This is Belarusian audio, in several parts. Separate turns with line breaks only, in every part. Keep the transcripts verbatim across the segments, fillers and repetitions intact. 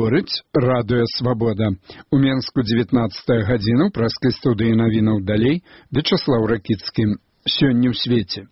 Гаворыць радыё Свабода. У Менску дзевятнаццатая гадзіна, ў праскай студыі навінаў далей Вячаслаў Ракіцкі. Сёння ў свеце.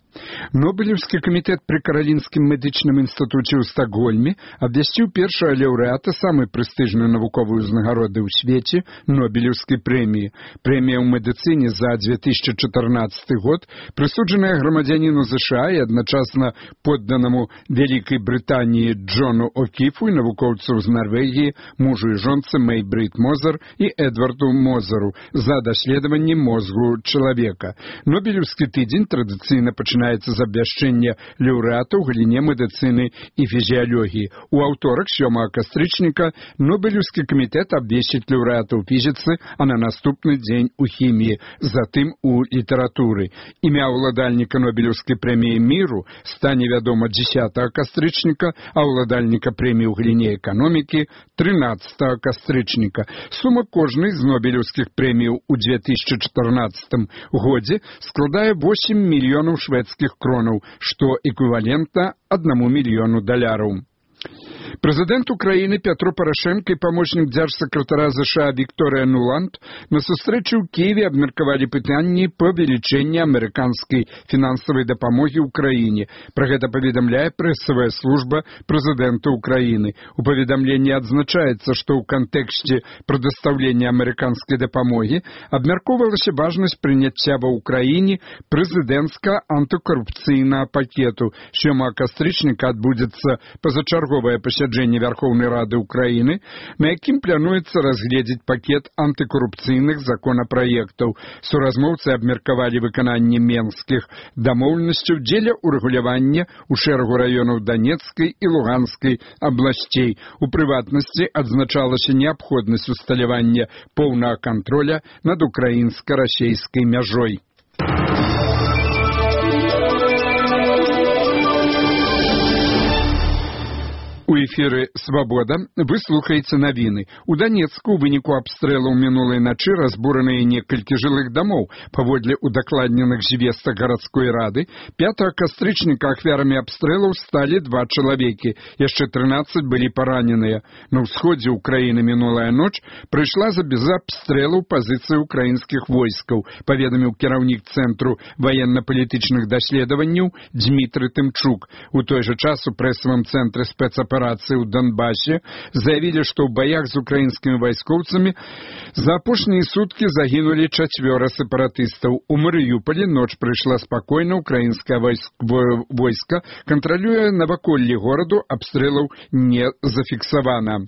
Нобелевскі камітэт пры Каралінскім медычным інстытуце ў Стакгольме абвясціў першага лаўрэата самай прэстыжнай навуковай узнагароды ў свеце Нобелевскай прэміі. Прэмія ў медыцыне за две тысячы чатырнаццаты год прысуджаная грамадзяніну ЗША і адначасна подданаму Вялікай Брытаніі Джону О'Кіфу і навукоўцу з Нарвегіі, мужу і жонцы Мэй Брит Мозер і Эдварду Мозеру за даследаванне мозгу чалавека. Нобелевскі тыдзень традыцыйна пачынаецца з абвяшчэння лаўрэата ў галіне медыцыны і фізіялогіі. У аўторак, сёмага кастрычніка, Нобелевскі камітэт абвесціць лаўрэата ў фізіцы, а на наступны дзень у хіміі, затым у літаратуры. Імя ўладальніка Нобелевскай прэміі міру стане вядома дзесятага кастрычніка, а ўладальніка прэміі ў галіне эканомікі трынаццатага кастрычніка. Сума кожнай з Нобелевскіх прэміяў у две тысячы чатырнаццатым годзе складае восемь мільёнаў шведскіх кронаў, што эквівалентна аднаму мільёну даляраў. Прэзідэнт Украіны Пятро Парашенка і памочнік дзяржсакратара ЗША Вікторыя Нуланд на сустрэчы ў Кіеве абмеркавалі пытанні павелічэння амерыканскай фінансавай дапамогі ўкраіне. Пра гэта паведамляе прэсавая служба прэзідэнта Украіны. У паведамленні адзначаецца, што ў кантэксце прадастаўлення амерыканскай дапамогі абмяркоўвалася важнасць прыняцця ва ўкраіне прэзідэнцка-антыкарупцыйнага пакету. сёмага кастрычніка адбудзецца пазачарговае пасяджэнне Вярхоўнай Рады Украіны, на якім плануецца разгледзець пакет антыкарупцыйных законапраектаў. Суразмоўцы абмеркавалі выкананне менскіх дамоўленасцяў дзеля ўрэгулявання ў шэрагу раёнаў Данецкай і Луганскай абласцей. У прыватнасці адзначалася неабходнасць усталявання поўнага кантроля над украінска-расейскай мяжой. У эфіры «Свабода» вы слухаеце навіны. У Данецку ў выніку абстрэлаў мінулай начы разбураныя некалькі жылых дамоў. Паводле удакладненых звестак гарадской рады, пятага кастрычніка ахвярамі абстрэлаў сталі два чалавекі. Яшчэ трынаццаць былі параненыя. На ўсходзе ўкраіны мінулая ноч прыйшла за без абстрэлаў пазіцыі ўкраінскіх войскаў, паведаміў кіраўнік Цэнтру ваенна-палітычных даследаванняў Дмітрый Тымчук. У той жа час у прэсавым цэнтры спецаперацыі аперацыі ў Донбасе заявілі, што ў баях з украінскімі вайскоўцамі за апошнія суткі загінулі чацвёра сепаратыстаў. У Марыюполі ноч прыйшла спакойна, украінскае войска кантралюе наваколлі гораду, абстрэлаў не зафіксавана.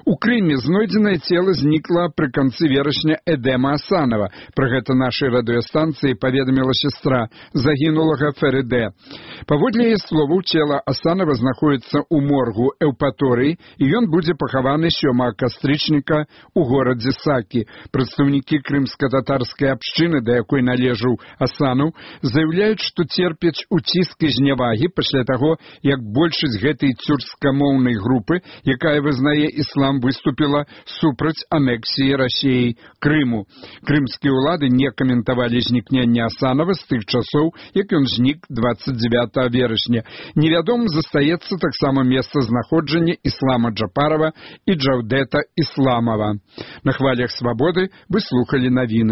У Крыме знойдзенае цела знікла пры канцы верасня Эдема Асанова. Пра гэта нашай радыёстанцыі паведаміла сястра загінулага Ферыдэ. Паводле яе словаў, цела Асанова знаходіцца ў моргу Эўпаторыі, і ён будзе пахаваны сёмага кастрычніка ў горадзе Сакі. Прадстаўнікі крымска-татарскай абшчыны, да якой належаў Асанаў, заяўляюць, што церпяць уціск і знявагі пасля таго, як большасць гэтай цюркскамоўнай групы, якая вызнае іслам, выступіла супраць анексіі Расіяй Крыму. Крымскія ўлады не каментавалі знікнення Асанова з тых часоў, як ён знік дваццаць дзевятага верасня. Невядомым застаецца таксама месца знаходжання Іслама Джапарова і Джаўдэта Ісламова. На хвалях Свабоды вы слухалі навіны.